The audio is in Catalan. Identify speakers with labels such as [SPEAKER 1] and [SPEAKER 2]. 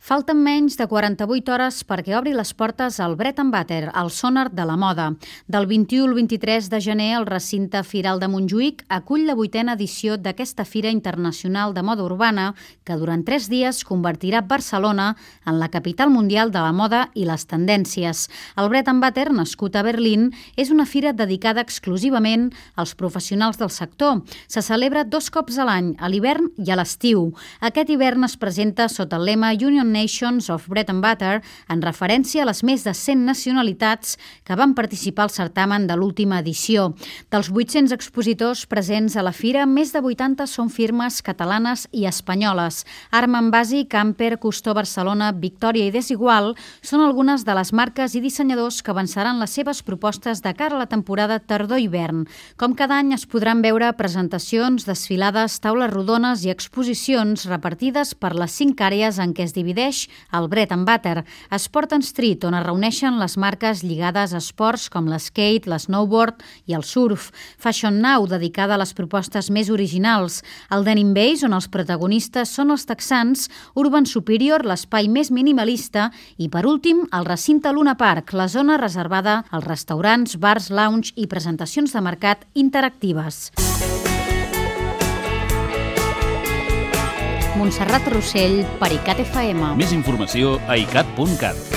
[SPEAKER 1] Falten menys de 48 hores perquè obri les portes al Bread and Butter, el sonar de la moda. Del 21 al 23 de gener, el recinte Firal de Montjuïc acull la 8a edició d'aquesta Fira Internacional de Moda Urbana que durant 3 dies convertirà Barcelona en la capital mundial de la moda i les tendències. El Bread and Butter, nascut a Berlín, és una fira dedicada exclusivament als professionals del sector. Se celebra 2 cops a l'any, a l'hivern i a l'estiu. Aquest hivern es presenta sota el lema Union Nations of Bread and Butter, en referència a les més de 100 nacionalitats que van participar al certamen de l'última edició. Dels 800 expositors presents a la fira, més de 80 són firmes catalanes i espanyoles. Armand Basi, Camper, Custó Barcelona, Victòria i Desigual són algunes de les marques i dissenyadors que avançaran les seves propostes de cara a la temporada tardor-hivern. Com cada any es podran veure presentacions, desfilades, taules rodones i exposicions repartides per les 5 àrees en què es divideix el Bread and Butter. Sport and Street, on es reuneixen les marques lligades a esports com l'skate, l'snowboard i el surf. Fashion Now, dedicada a les propostes més originals. El Denim Base, on els protagonistes són els texans. Urban Superior, l'espai més minimalista. I, per últim, el recinte Luna Park, la zona reservada als restaurants, bars, lounge i presentacions de mercat interactives. Montserrat Rossell, per ICAT FM.
[SPEAKER 2] Més informació a icat.cat.